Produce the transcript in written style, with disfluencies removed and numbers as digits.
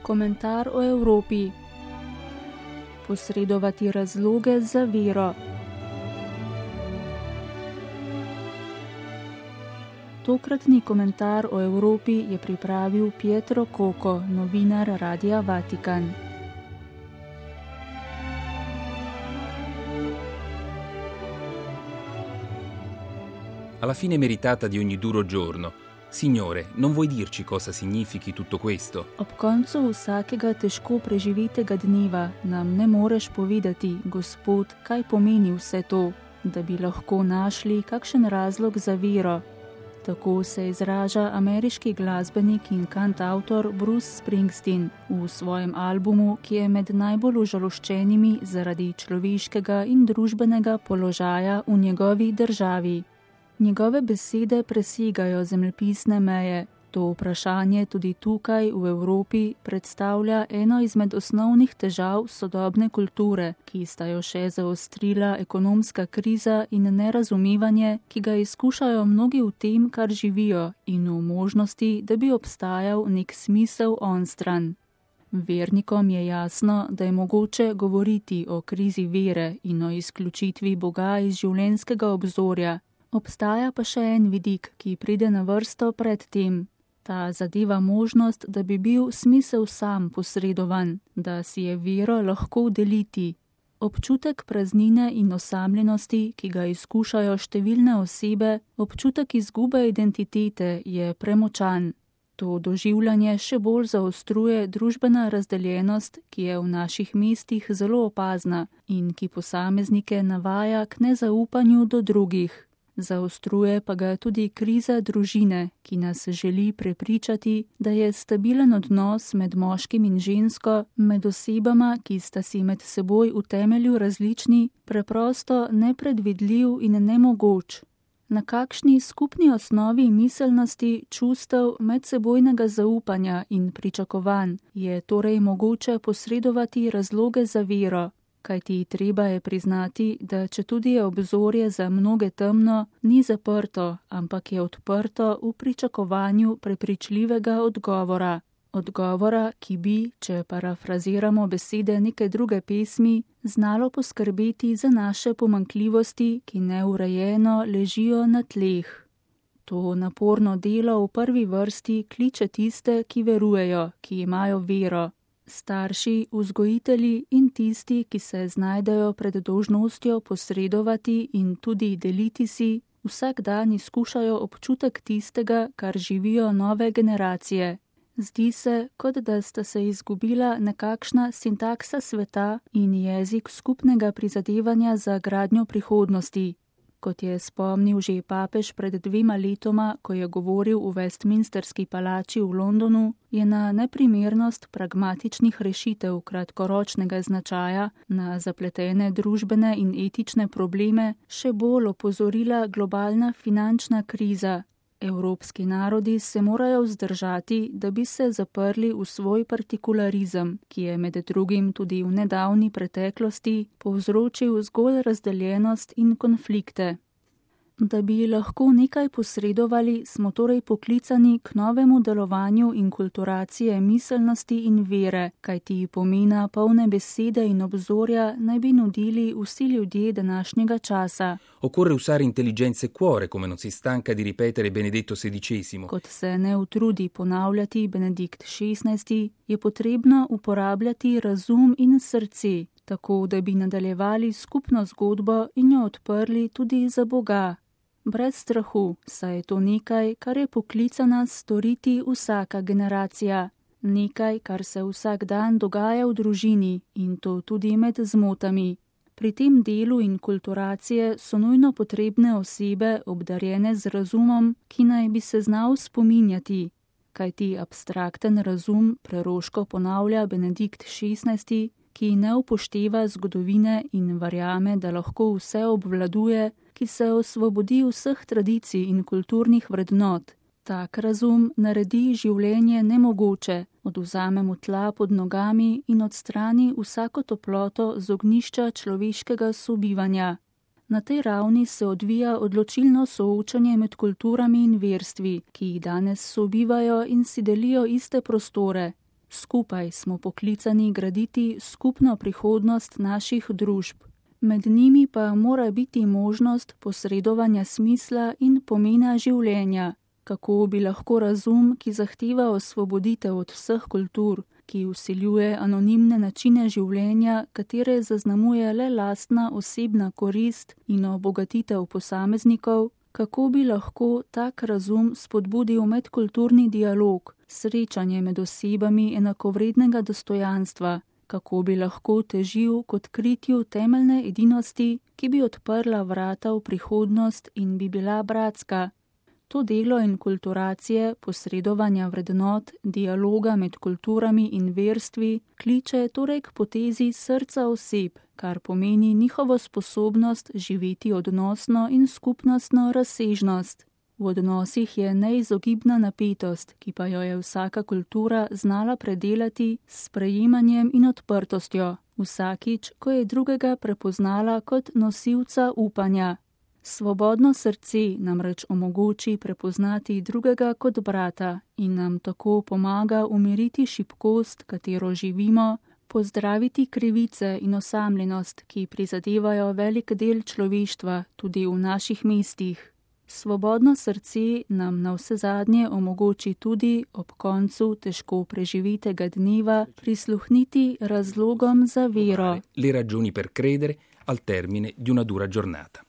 Komentar o Evropi. Posredovati razloge za vero. Tokratni komentar o Evropi je pripravil Pietro Coco, novinar Radia Vatikan. Alla fine meritata di ogni duro giorno. Signore, non vuoi dirci cosa significhi tutto questo? Ob koncu vsakega težko preživitega dneva nam ne moreš povedati, Gospod, kaj pomeni vse to, da bi lahko našli kakšen razlog za vero. Tako se izraža ameriški glasbenik in kantavtor Bruce Springsteen v svojem albumu, ki je med najbolj užaloščenimi zaradi človeškega in družbenega položaja v njegovi državi. Njegove besede presegajo zemljepisne meje. To vprašanje tudi tukaj v Evropi predstavlja eno izmed osnovnih težav sodobne kulture, ki sta jo še zaostrila ekonomska kriza in nerazumevanje, ki ga izkušajo mnogi v tem, kar živijo, in v možnosti, da bi obstajal nek smisel onstran. Vernikom je jasno, da je mogoče govoriti o krizi vere in o izključitvi Boga iz življenjskega obzorja. Obstaja pa še en vidik, ki pride na vrsto pred tem. Ta zadeva možnost, da bi bil smisel sam posredovan, da si je vero lahko deliti. Občutek praznine in osamljenosti, ki ga izkušajo številne osebe, občutek izgube identitete je premočan. To doživljanje še bolj zaostruje družbena razdeljenost, ki je v naših mestih zelo opazna in ki posameznike navaja k nezaupanju do drugih. Zaostruje pa ga tudi kriza družine, ki nas želi prepričati, da je stabilen odnos med moškim in žensko, med osebama, ki sta si med seboj v temelju različni, preprosto nepredvidljiv in nemogoč. Na kakšni skupni osnovi miselnosti, čustev, medsebojnega zaupanja in pričakovanj je torej mogoče posredovati razloge za vero? Kajti treba je priznati, da četudi je obzorje za mnoge temno, ni zaprto, ampak je odprto v pričakovanju prepričljivega odgovora. Odgovora, ki bi, če parafraziramo besede neke druge pesmi, znalo poskrbeti za naše pomanjkljivosti, ki neurejeno ležijo na tleh. To naporno delo v prvi vrsti kliče tiste, ki verujejo, ki imajo vero. Starši, vzgojitelji in tisti, ki se znajdejo pred dolžnostjo posredovati in tudi deliti si, vsak dan izkušajo občutek tistega, kar živijo nove generacije. Zdi se, kot da sta se izgubila nekakšna sintaksa sveta in jezik skupnega prizadevanja za gradnjo prihodnosti. Kot je spomnil že papež pred 2 letoma, ko je govoril v Westminsterski palači v Londonu, je na neprimernost pragmatičnih rešitev kratkoročnega značaja na zapletene družbene in etične probleme še bolj opozorila globalna finančna kriza. Evropski narodi se morajo vzdržati, da bi se zaprli v svoj partikularizem, ki je med drugim tudi v nedavni preteklosti povzročil zgolj razdeljenost in konflikte. Da bi lahko nekaj posredovali, smo torej poklicani k novemu delovanju inkulturacije miselnosti in vere, kajti pomena polne besede in obzorja naj bi nudili vsi ljudje današnjega časa. Occorre usare intelligenza e cuore, come non si stanca di ripetere Benedetto XVI. Kot se ne utrudi ponavljati Benedikt XVI, je potrebno uporabljati razum in srce, tako da bi nadaljevali skupno zgodbo in jo odprli tudi za Boga. Brez strahu, saj je to nekaj, kar je poklicana storiti vsaka generacija. Nekaj, kar se vsak dan dogaja v družini in to tudi med zmotami. Pri tem delu inkulturacije so nujno potrebne osebe, obdarjene z razumom, ki naj bi se znal spominjati. Kajti abstrakten razum, preroško ponavlja Benedikt XVI, ki ne upošteva zgodovine in verjame, da lahko vse obvladuje, ki se osvobodi vseh tradicij in kulturnih vrednot. Tak razum naredi življenje nemogoče, odvzame mu tla pod nogami in odstrani vsako toploto z ognjišča človeškega sobivanja. Na tej ravni se odvija odločilno soočanje med kulturami in verstvi, ki jih danes sobivajo in si delijo iste prostore. Skupaj smo poklicani graditi skupno prihodnost naših družb. Med njimi pa mora biti možnost posredovanja smisla in pomena življenja, kako bi lahko razum, ki zahteva osvoboditev od vseh kultur, ki vsiljuje anonimne načine življenja, katere zaznamuje le lastna osebna korist in obogatitev posameznikov, kako bi lahko tak razum spodbudil medkulturni dialog, srečanje med osebami enakovrednega dostojanstva, kako bi lahko težil k odkritju temeljne edinosti, ki bi odprla vrata v prihodnost in bi bila bratska. To delo inkulturacije, posredovanja vrednot, dialoga med kulturami in verstvi kliče torej k potezi srca oseb, kar pomeni njihovo sposobnost živeti odnosno in skupnostno razsežnost. V odnosih je neizogibna napetost, ki pa jo je vsaka kultura znala predelati s sprejemanjem in odprtostjo, vsakič, ko je drugega prepoznala kot nosilca upanja. Svobodno srce namreč omogoči prepoznati drugega kot brata in nam tako pomaga umiriti šibkost, katero živimo, pozdraviti krivice in osamljenost, ki prizadevajo velik del človeštva tudi v naših mestih. Svobodno srce nam navsezadnje omogoči tudi ob koncu težko preživetega dneva prisluhniti razlogom za vero. Le ragioni per credere al termine di una dura giornata.